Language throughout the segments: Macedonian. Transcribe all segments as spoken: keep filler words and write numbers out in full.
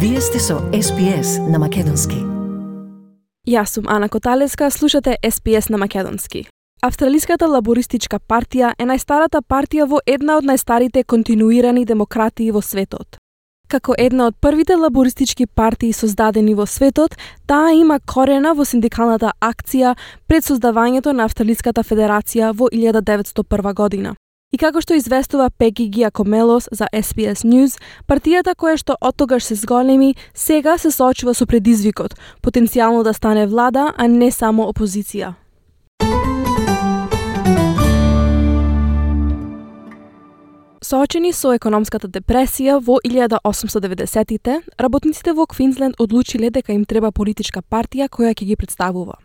Вие сте со Ес Би Ес на Македонски. Јас сум Ана Коталеска, слушате Ес Би Ес на Македонски. Австралиската лабористичка партија е најстарата партија во една од најстарите континуирани демократии во светот. Како една од првите лабористички партии создадени во светот, таа има корена во синдикалната акција пред создавањето на Австралиската федерација во илјада деветстотини и прва година. И како што известува Пеги Гиакомелос за Ес Би Ес News, партијата која што оттогаш се зголеми, сега се соочува со предизвикот, потенцијално да стане влада, а не само опозиција. Соочени со економската депресија во илјада осумстотини деведесетите, работниците во Квинсленд одлучиле дека им треба политичка партија која ќе ги представува.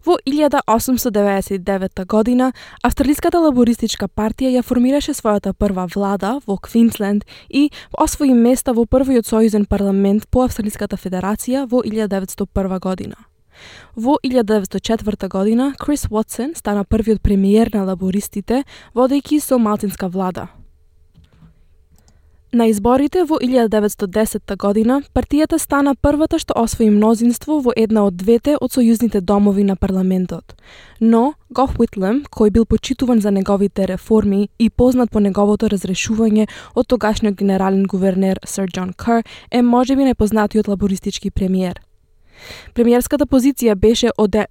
Во илјада осумстотини деветдесет и девета година, Австралиската лабористичка партија ја формираше својата прва влада во Квинсленд и освои места во првиот сојузен парламент по Австралиската федерација во илјада деветстотини и прва година. Во илјада деветстотини и четврта година, Крис Уотсон стана првиот премиер на лабористите, водејќи со малцинска влада. На изборите во илјада деветстотини и десета година, партијата стана првата што освои мнозинство во една од двете од сојузните домови на парламентот. Но, Гов Уитлем, кој бил почитуван за неговите реформи и познат по неговото разрешување од тогашниот генерален гувернер Сир Џон Кер, е можеби најпознатиот лабористички премиер. Премиерската позиција беше од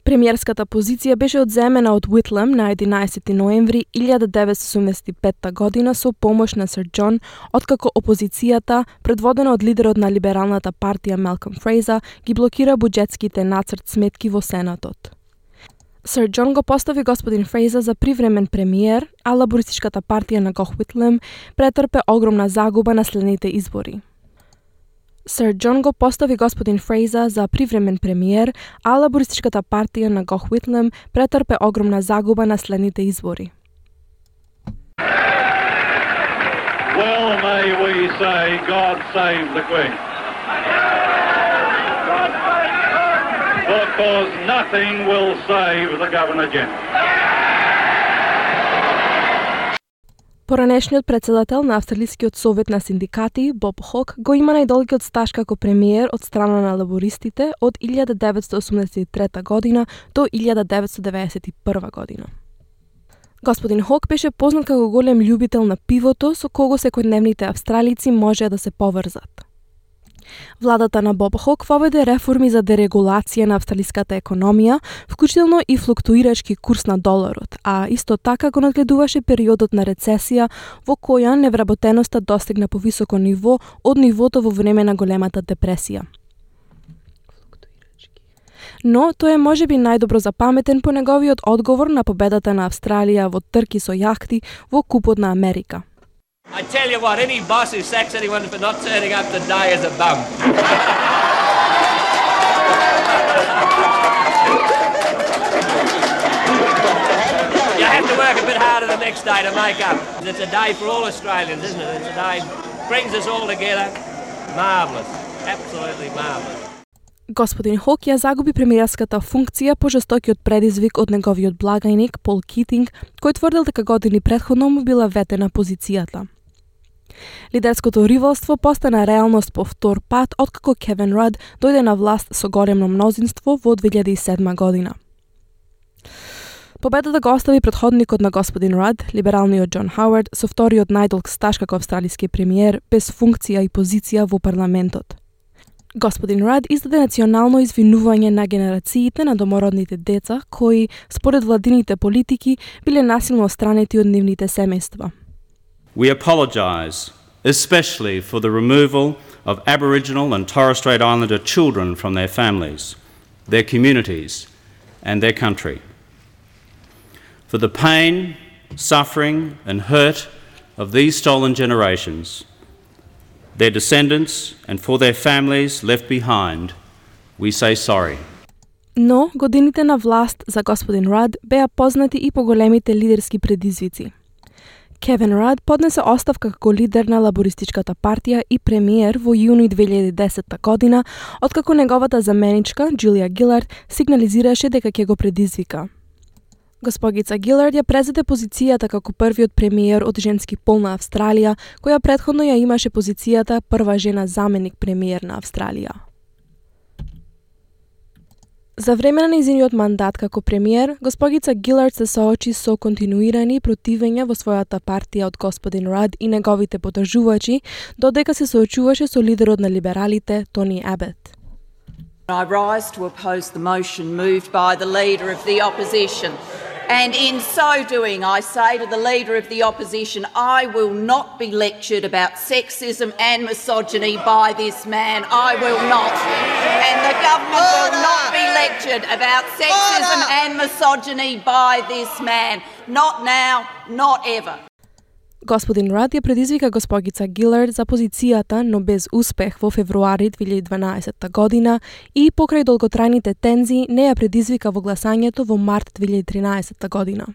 Премиерската позиција беше одземена од Уитлем на единаесети ноември илјада деветстотини осумдесет и петта година со помош на Сир Џон, откако опозицијата, предводена од лидерот на либералната партија Малком Фрейза, ги блокира буџетските нацрт сметки во Сенатот. Сир Џон го постави господин Фрейза за привремен премиер, а лабористичката партија на Гов Уитлем претрпе огромна загуба на следните избори. Сир Џон го постави господин Фрейза за привремен премиер, а лабористичката партија на Гов Уитлем претрпе огромна загуба на следните избори. Well, may we say, God save the Queen. Because nothing will save the Governor-General. Поранешниот претседател на Австралискиот совет на синдикати, Боб Хок, го има најдолгиот стаж како премиер од страна на лабористите од илјада деветстотини осумдесет и трета година до илјада деветстотини деветдесет и прва година. Господин Хок беше познат како голем љубител на пивото, со кого секојдневните австралици можеа да се поврзат. Владата на Боб Хок воведе реформи за дерегулација на австралиската економија, вклучително и флуктуирачки курс на доларот, а исто така го надгледуваше периодот на рецесија во која невработеноста достигна повисоко ниво од нивото во време на големата депресија. Но тој е можеби најдобро запаметен по неговиот одговор на победата на Австралија во трки со јахти во Купот на Америка. I tell you what, any boss who sacks anyone for not turning up today is a bum. You have to work a bit harder the next day to make up. It's a day for all Australians, isn't it? It's a day brings us all together. Marvellous. Absolutely marvellous. Господин Хок ја загуби премиерската функција по жестокиот предизвик од неговиот благајник Пол Китинг, кој тврдел дека години претходно му била ветена позицијата. Лидерското ривалство постана реалност по втор пат откако Кевин Рад дојде на власт со големо мнозинство во две илјади и седма година. Победата го остави претходникот на господин Рад, либералниот Џон Хауард, со вториот најдолг стаж како австралиски премиер, без функција и позиција во парламентот. Господин Рад издаде национално извинување на генерациите на домородните деца кои, според владините политики, биле насилно остранети од нивните семејства. We apologise, especially for the removal of Aboriginal and Torres Strait Islander children from their families, their communities and their country. For the pain, suffering and hurt of these stolen generations, their descendants and for their families left behind, we say sorry. Но годините на власт за господин Рад беа познати и по големите лидерски предизвици. Кевин Рад поднесе оставка како лидер на лабористичката партија и премиер во јуни две илјади и десета година, откако неговата заменичка, Џулија Гилард, сигнализираше дека ќе го предизвика. Госпогица Гилард ја презеде позицијата како првиот премиер од женски пол на Австралија, која претходно ја имаше позицијата прва жена заменик премиер на Австралија. За време на нејзиниот мандат како премиер, госпогица Гилард се соочи со континуирани противења во својата партија од господин Рад и неговите поддржувачи, додека се соочуваше со лидерот на либералите, Тони Абет. I rise to oppose the motion moved by the Leader of the Opposition. And in so doing, I say to the Leader of the Opposition, I will not be lectured about sexism and misogyny by this man. I will not. And the government will not be lectured about sexism and misogyny by this man. Not now, not ever. Господин Рад ја предизвика госпогица Гилард за позицијата, но без успех во февруари две илјади и дванаесетта година и покрај долготрајните тензии не ја предизвика во гласањето во март две илјади и тринаесетта година.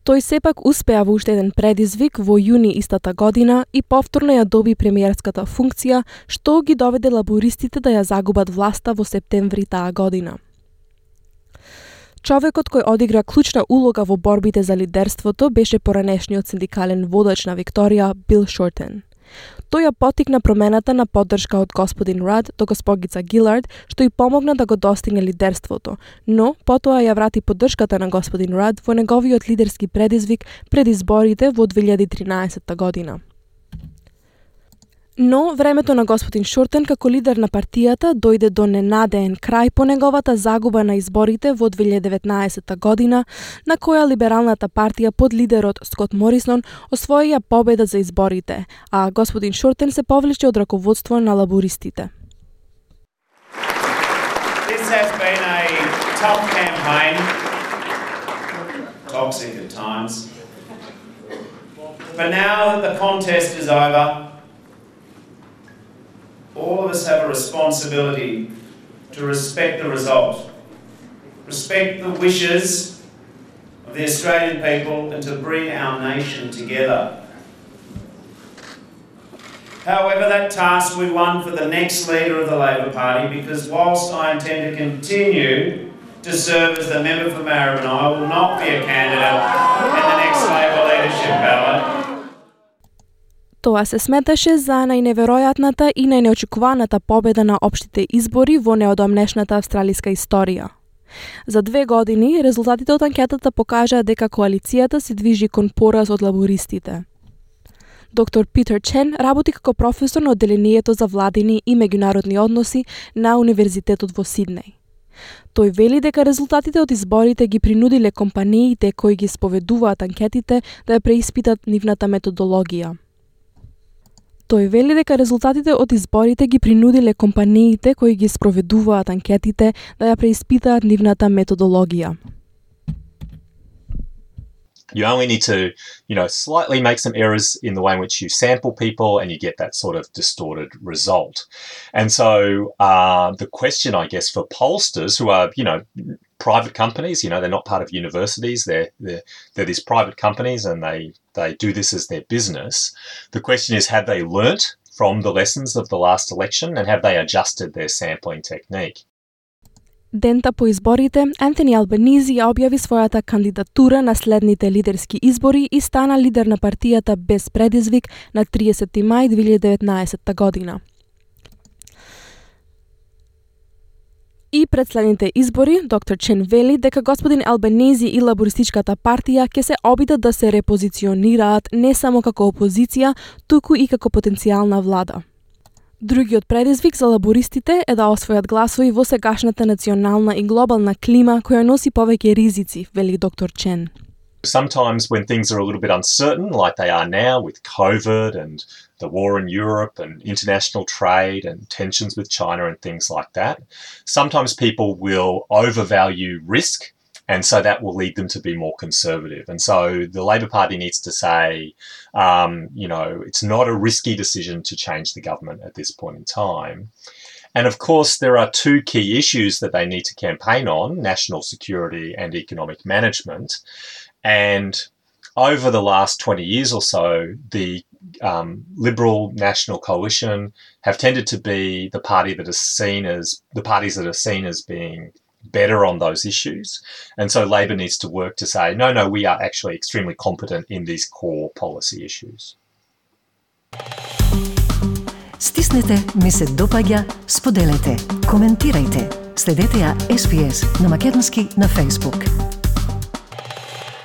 Тој сепак успеа во уште еден предизвик во јуни истата година и повторно ја доби премиерската функција, што ги доведе лабористите да ја загубат власта во септември таа година. Човекот кој одигра клучна улога во борбите за лидерството беше поранешниот синдикален водач на Викторија, Бил Шортен. Тој ја поттикна промената на поддршка од господин Рад до госпогица Гилард, што и помогна да го достигне лидерството, но потоа ја врати поддршката на господин Рад во неговиот лидерски предизвик пред изборите во две илјади и тринаесетта година. Но времето на господин Шортен како лидер на партијата дојде до ненадеен крај по неговата загуба на изборите во две илјади и деветнаесетта година, на која либералната партија под лидерот Скот Морисон освоија победа за изборите, а господин Шортен се повлече од раководство на лабористите. This has been a tough campaign, toxic at times. But now that the contest is over, all of us have a responsibility to respect the result, respect the wishes of the Australian people and to bring our nation together. However, that task we won for the next leader of the Labor Party, because whilst I intend to continue to serve as the member for Maribyrnong, I will not be a candidate in the next Labor leadership ballot. Тоа се сметаше за најневеројатната и најнеочекуваната победа на општите избори во неодамнешната австралиска историја. За две години, резултатите од анкетата покажаа дека коалицијата се движи кон пораз од лабористите. Доктор Питер Чен работи како професор на одделението за владини и меѓународни односи на Универзитетот во Сиднеј. Тој вели дека резултатите од изборите ги принудиле компаниите кои ги споведуваат анкетите да ја преиспитат нивната методологија. Тој вели дека резултатите од изборите ги принудиле компаниите кои ги спроведуваат анкетите да ја преиспитаат нивната методологија. You only need to, you know, slightly make some errors in the way in which you sample people and you get that sort of distorted result. And so uh, the question, I guess, for pollsters who are, you know, private companies, you know, they're not part of universities, they're, they're, they're these private companies and they, they do this as their business. The question is, have they learnt from the lessons of the last election and have they adjusted their sampling technique? Дента по изборите, Антони Албанизи ја објави својата кандидатура на следните лидерски избори и стана лидер на партијата без предизвик на триесетти мај две илјади и деветнаесетта година. И пред следните избори, доктор Чен вели дека господин Албанизи и лабористичката партија ќе се обидат да се репозиционираат не само како опозиција, туку и како потенцијална влада. Другиот предизвик за лабористите е да освојат гласови во сегашната национална и глобална клима која носи повеќе ризици, вели доктор Чен. Sometimes when things are a little bit uncertain, like they are now with COVID and the war in Europe and international trade and tensions with China and things like that, sometimes people will overvalue risk, and so that will lead them to be more conservative. And so the Labor Party needs to say, um, you know, it's not a risky decision to change the government at this point in time. And of course, there are two key issues that they need to campaign on, national security and economic management. And over the last twenty years or so, the um, Liberal National Coalition have tended to be the party that is seen as the parties that are seen as being better on those issues. And so Labor needs to work to say, no, no, we are actually extremely competent in these core policy issues. Стиснете, ми се допаѓа, споделете, коментирајте. Следете ја Ес Би Ес на македонски на Facebook.